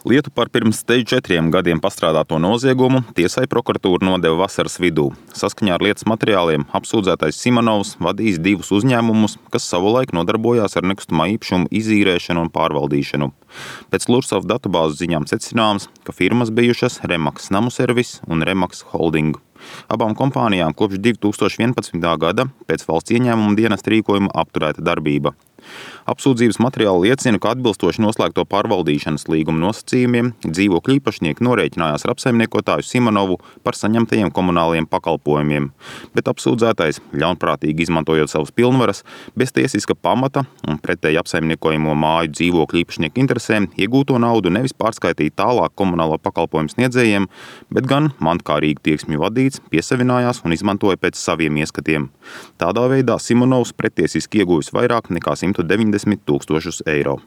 Lietu par pirms 4 gadiem pastrādāto noziegumu tiesai prokuratūra nodeva vasaras vidū. Saskaņā ar lietas materiāliem apsūdzētais Simonovs vadījis 2 uzņēmumus, kas savulaik nodarbojās ar nekustamā īpašuma izīrēšanu un pārvaldīšanu. Pēc Lursov datubāzes ziņām secināms, ka firmas bijušas Remax Namu Servis un Remax Holding. Abām kompānijām kopš 2011. gada pēc valsts ieņēmuma dienesta rīkojuma apturēta darbība. Apsūdzības materiāli liecina, ka atbilstoši noslēgto pārvaldīšanas līguma nosacījumiem dzīvokļu īpašnieki norēķinājās ar apsaimniekotāju Simonovu par saņemtajiem komunālajiem pakalpojumiem, bet apsūdzētais, ļaunprātīgi izmantojot savas pilnvaras, bez tiesiska pamata un pretēji apsaimniekojamo māju dzīvokļu īpašnieku interesēm iegūto naudu nevis pārskaitīja tālāk komunālo pakalpojumu sniedzējiem, bet gan mantkārīgi tieksmi vadīts, piesavinājās un izmantoja pēc saviem ieskatiem. Tādā veidā Simonovs pretiesiski ieguvis vairāk nekā 190 000 eiro.